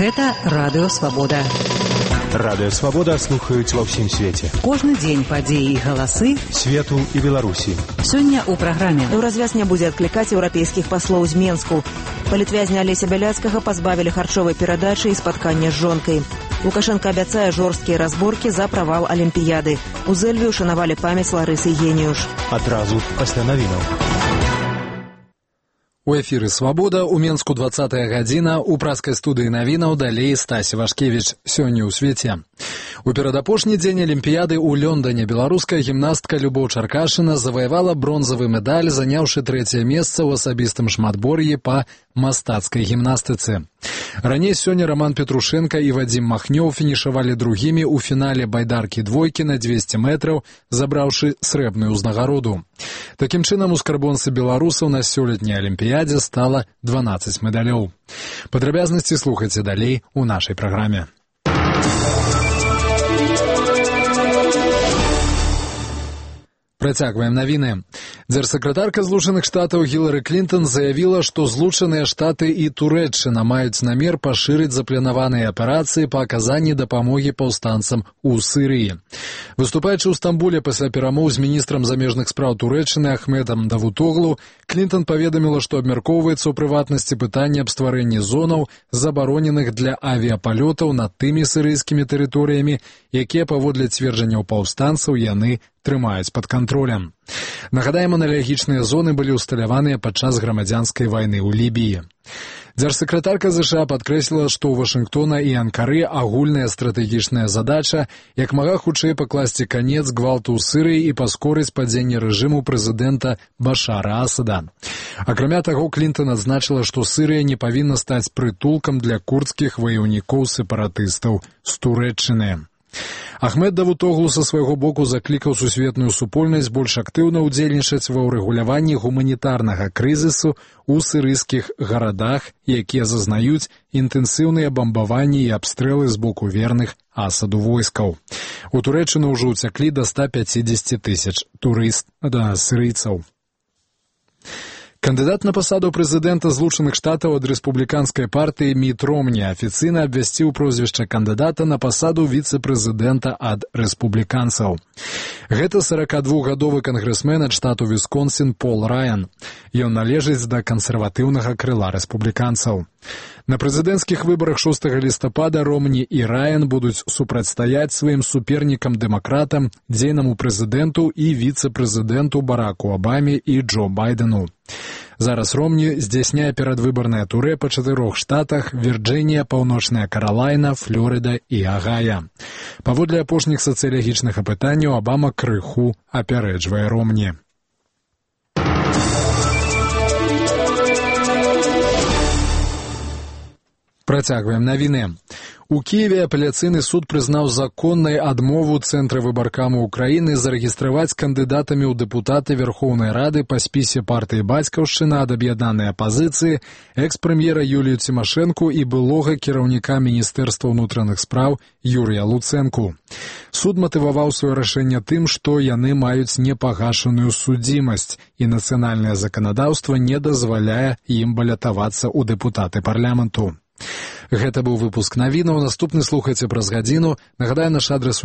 Гэта Радыё Свабода. Радыё Свабода слухаюць ва ўсім свеце. Кожны дзень падзеі і галасы свету і Беларусі. Сёння ў праграме. Еўразвяз не будзе адклікаць еўрапейскіх паслоў з Менску. Палітвязня Алеся Бяляцкага пазбавілі харчовай перадачы і спаткання з жонкай. Лукашенко абяцае жорсткія разборкі за правал Алімпіяды. У Зэльве ушанавалі памяць Ларысы Геніюш. Адразу пасля навінаў. У эфіры «Свабода», у Менску 20-я гадзіна, у праскай студыі навінаў далей Стась Вашкевіч. Сёння ў свеце. У перадапошні дзень Алімпіяды ў Лондоне беларуская гімнастка Любоў Чаркашына заваявала бронзавы медаль, заняўшы 3-е месца ў асабістым шматбор'і па мастацкай гімнастыцы. Раней сёння Роман Петрушенко і Вадзім Махнёў фінішавалі другімі ў фінале байдаркі-двойкі на 200 метраў, забраўшы срэбную ўзнагароду. Такім чынам, у скарбонцы беларусаў на сёлетняй Алімпіядзе стала 12 медалёў. Падрабязнасці слухайце далей у нашай праграме. Працягваем навіны. Дзяржсакратарка Злучаных Штатаў Гілары Клінтон заявіла, што Злучаныя Штаты і Турэччына маюць намер пашырыць запланаваныя аперацыі па аказанні дапамогі паўстанцам у Сірыі. Выступаючы ў Стамбуле пасля перамоў з міністрам замежных спраў Турэччыны Ахмедам Давутоглу, Клінтон паведаміла, што абмяркоўваецца ў прыватнасці пытанне аб стварэнні зонаў, забароненых для авіяпалётаў над тымі сірыйскімі тэрыторыямі, якія, паводле цверджанняў паўстанцаў, яны трымаюць пад кантролем. Нагадаем, аналагічныя зоны былі ўсталяваныя падчас грамадзянскай вайны ў Лібіі. Дзяржсакратарка ЗША падкрэсліла, што ў Вашынгтона і Анкары агульная стратэгічная задача як мага хутчэй пакласці канец гвалту ў Сірыі і паскорыць падзенне рэжыму прэзідэнта Башара Асада. Акрамя таго, Клінтон адзначыла, што Сірыя не павінна стаць прытулкам для курдскіх ваяўнікоў-сепаратыстаў з Турэччыны. Ахмед Давутоглу са свайго боку заклікаў сусветную супольнасць больш актыўна ўдзельнічаць ва ўрэгуляванні гуманітарнага крызісу ў сірыйскіх гарадах, якія зазнаюць інтэнсіўныя бамбаванні і абстрэлы з боку верных Асаду войскаў. У Турэччыну ўжо ўцяклі да 150 тысяч сірыйцаў. Кандыдат на пасаду прэзідэнта Злучаных Штатаў ад рэспубліканскай партыі Міт Ромні афіцыйна абвясціў прозвішча кандыдата на пасаду віцэ-прэзідэнта ад рэспубліканцаў. Гэта 42-гадовы кангрэсмен ад штату Вісконсін Пол Раян. Ён належыць да кансерватыўнага крыла рэспубліканцаў. На прэзідэнцкіх выбарах 6 лістапада Ромні і Раян будуць супрацьстаяць сваім супернікам-дэмакратам, дзейнаму прэзідэнту і віцэ-прэзідэнту Бараку Абаме і Джо Байдену. Зараз Ромні здзяйсняе перадвыбарнае турэ па 4 штатах: Вірджынія, Паўночная Каралайна, Флорыда і Агая. Паводле апошніх сацыялагічных апытанняў Абама крыху апярэджвае Ромні. Працягваем навіны. У Кіеве апеляцыйны суд прызнаў законнай адмову Цэнтра выбаркаму Украіны зарэгістраваць кандыдатамі ў дэпутаты Верхоўнай Рады па спісе партыі «Бацькаўшчына» ад аб'яднанай апазіцыі экс-прэм'ера Юлію Цімашэнку і былога кіраўніка Міністэрства ўнутраных спраў Юрія Луцэнку. Суд матываваў сваё рашэнне тым, што яны маюць непагашаную судзімасць і нацыянальнае заканадаўства не дазваляе ім балятавацца ў дэпутаты парламенту. Гэта быў выпуск навінаў. Наступны слухайце праз гадзіну. Нагадаю, наш адрас